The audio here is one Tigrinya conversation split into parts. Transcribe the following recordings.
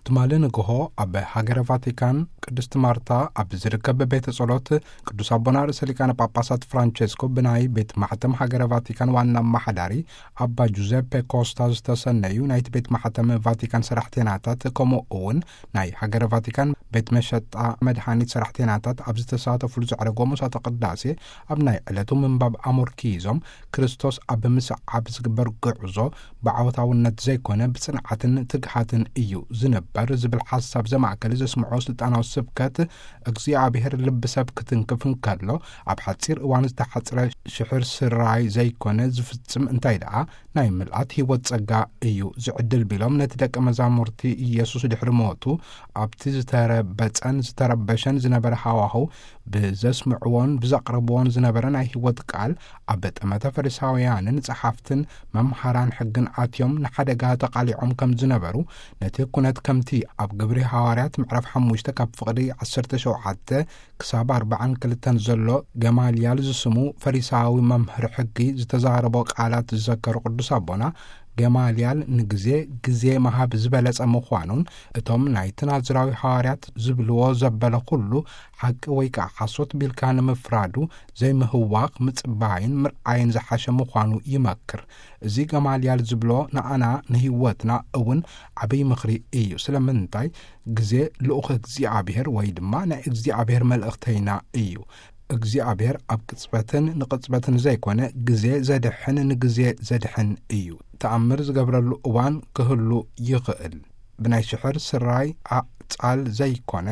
ትማሊ ንግሆ ኣብ ሃገረ ቫቲካን ቅድስት ማርታ ኣብ ዝርከብ ቤተ ጸሎት ቅዱስ ኣቦና ርእሰ ሊቃነ ጳጳሳት ፍራንቸስኮ ብናይ ቤት ማሕተም ሃገረ ቫቲካን ዋና ኣማሓዳሪ ኣባ ጁዘፔ ኮስታ ዝተሰነዩ ናይቲ ቤት ማሕተም ቫቲካን ሰራሕቴናታት፣ ከምኡ እውን ናይ ሃገረ ቫቲካን ቤት መሸጣ መድሃኒት ሰራሕቴናታት ኣብ ዝተሳተፉሉ ዘዕረጎ ምሳተ ቅዳሴ፣ ኣብ ናይ ዕለቱ ምንባብ ኣሞርኪዞም፣ ክርስቶስ ኣብ ምስዓብ ዝግበር ጉዕዞ ብዓወታውነት ዘይኮነ ብጽንዓትን ትግሃትን እዩ ዝንበር ዝብል ሓሳብ ዘማእከለ ዘስምዖ ስልጣናዊ ስብከት፣ እግዚኣብሔር ልቢ ሰብ ክትንክፍ እንከሎ ኣብ ሓጺር እዋን ዝተሓጽረ ሽሕር ስራይ ዘይኮነ ዝፍጽም፣ እንታይ ደኣ ናይ ምልኣት ህይወት ጸጋ እዩ ዝዕድል ቢሎም፣ ነቲ ደቀ መዛሙርቲ ኢየሱስ ድሕሪ ሞቱ ኣብቲ ዝተረበጸን ዝተረበሸን ዝነበረ ሃዋህው ብዘስምዕዎን ብዘቕርብዎን ዝነበረ ናይ ህይወት ቃል፣ ኣብ ጠመተ ፈሪሳውያንን ጸሓፍትን መምሃራን ሕግን ኣትዮም ንሓደጋ ተቓሊዖም ከም ዝነበሩ፣ ነቲ ኩነት ከምቲ ኣብ ግብሪ ሃዋርያት ምዕራፍ ሓሙሽተ ካብ ፍቕዲ ዓሰርተ ሸውዓተ ክሳብ ኣርባዓን ክልተን ዘሎ ገማልያል ዝስሙ ፈሪሳዊ መምህር ሕጊ ዝተዛረቦ ቃላት ዝዘከሩ ቅዱስ ኣቦና፣ ገማልያል ንግዜ ግዜ መሃብ ዝበለጸ ምዃኑን፣ እቶም ናይቲ ናዝራዊ ሃዋርያት ዝብልዎ ዘበለ ኩሉ ሓቂ ወይ ከኣ ሓሶት ቢልካ ንምፍራዱ ዘይምህዋኽ ምጽባይን ምርኣይን ዝሓሸ ምዃኑ ይመክር። እዚ ገማልያል ዝብሎ ንኣና ንህይወትና እውን ዓብይ ምኽሪ እዩ። ስለምንታይ? ግዜ ልኡኽ እግዚኣብሔር ወይ ድማ ናይ እግዚኣብሔር መልእኽተይና እዩ። እግዚኣብሔር ኣብ ቅጽበትን ንቅጽበትን ዘይኮነ፣ ግዜ ዘድሕን ንግዜ ዘድሕን እዩ። ተኣምር ዝገብረሉ እዋን ክህሉ ይኽእል። ብናይ ሽሕር ስራይ ኣዕጻል ዘይኮነ፣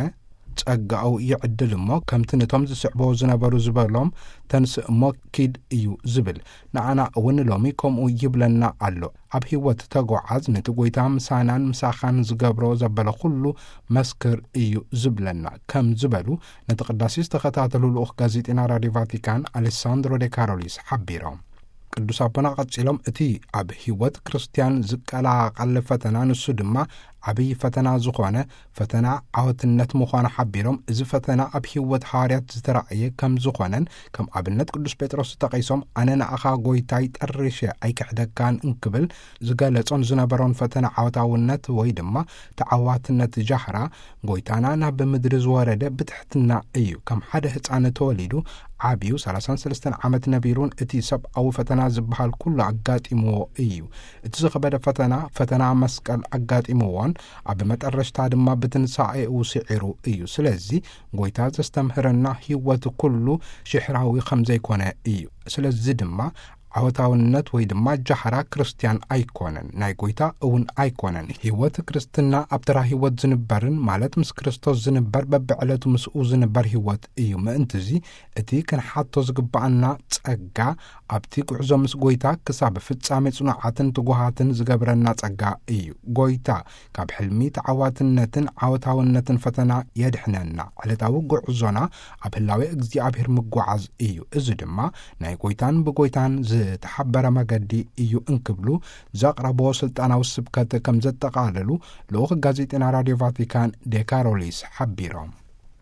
ጸጋኡ ይዕድል እሞ፣ ከምቲ ነቶም ዝስዕብዎ ዝነበሩ ዝበሎም፣ "ተንስእ እሞ ኪድ" እዩ ዝብል። ንዓና እውን ሎሚ ከምኡ ይብለና ኣሎ። ኣብ ህይወት ተጓዓዝ፣ ነቲ ጐይታ ምሳናን ምሳኻን ዝገብሮ ዘበለ ኩሉ መስክር እዩ ዝብለና፣ ከም ዝበሉ ነቲ ቅዳሴ ዝተኸታተሉ ልኡኽ ጋዜጠና ራድዮ ቫቲካን ኣሌሳንድሮ ዴ ካሮሊስ ሓቢሮም። ቅዱስ ኣቦና ቀጺሎም፣ እቲ ኣብ ህይወት ክርስትያን ዝቀላቐል ፈተና፣ ንሱ ድማ ዓብዪ ፈተና ዝኾነ ፈተና ዓወትነት ምዃኑ ሓቢሮም፣ እዚ ፈተና ኣብ ህይወት ሃዋርያት ዝተራእየ ከም ዝኾነን፣ ከም ኣብነት ቅዱስ ጴጥሮስ ተጠቒሶም፣ "ኣነ ንኣኻ ጐይታይ ጠሪሸ ኣይክሕደካን" እንክብል ዝገለጾን ዝነበሮን ፈተና ዓወታውነት ወይ ድማ ተዓዋትነት ጃህራ፣ ጐይታና ናብ ምድሪ ዝወረደ ብትሕትና እዩ። ከም ሓደ ህጻን ተወሊዱ ዓብዩ፣ ሰላሳን ሰለስተን ዓመት ነቢሩን እቲ ሰብኣዊ ፈተና ዝበሃል ኩሉ ኣጋጢምዎ እዩ። እቲ ዝኸበደ ፈተና፣ ፈተና መስቀል ኣጋጢምዎን ኣብ መጠረሽታ ድማ ብትንሳኤኡ ስዒሩ እዩ። ስለዚ ጐይታ ዘስተምህረና ህይወት ኩሉ ሽሕራዊ ከም ዘይኮነ እዩ። ስለዚ ድማ ዓወታውነት ወይ ድማ ጃህራ ክርስትያን ኣይኮነን፣ ናይ ጐይታ እውን ኣይኮነን። ህይወት ክርስትና ኣብ ተራ ህይወት ዝንበርን፣ ማለት ምስ ክርስቶስ ዝንበር፣ በብዕለቱ ምስኡ ዝንበር ህይወት እዩ። ምእንትዚ እቲ ክንሓቶ ዝግብኣና ጸጋ፣ ኣብቲ ጉዕዞ ምስ ጐይታ ክሳብ ፍጻሜ ጽኑዓትን ትጉሃትን ዝገብረና ጸጋ እዩ። ጐይታ ካብ ሕልሚ ተዓዋትነትን ዓወታውነትን ፈተና የድሕነና። ዕለታዊ ጉዕዞና ኣብ ህላዌ እግዚኣብሔር ምጓዓዝ እዩ። እዚ ድማ ናይ ጐይታን ብጐይታን ዝተሓበረ መገዲ እዩ እንክብሉ ዘቕረብዎ ስልጣናዊ ስብከት ከም ዘጠቓለሉ ልኡኽ ጋዜጠና ራድዮ ቫቲካን ዴ ካሮሊስ ሓቢሮም።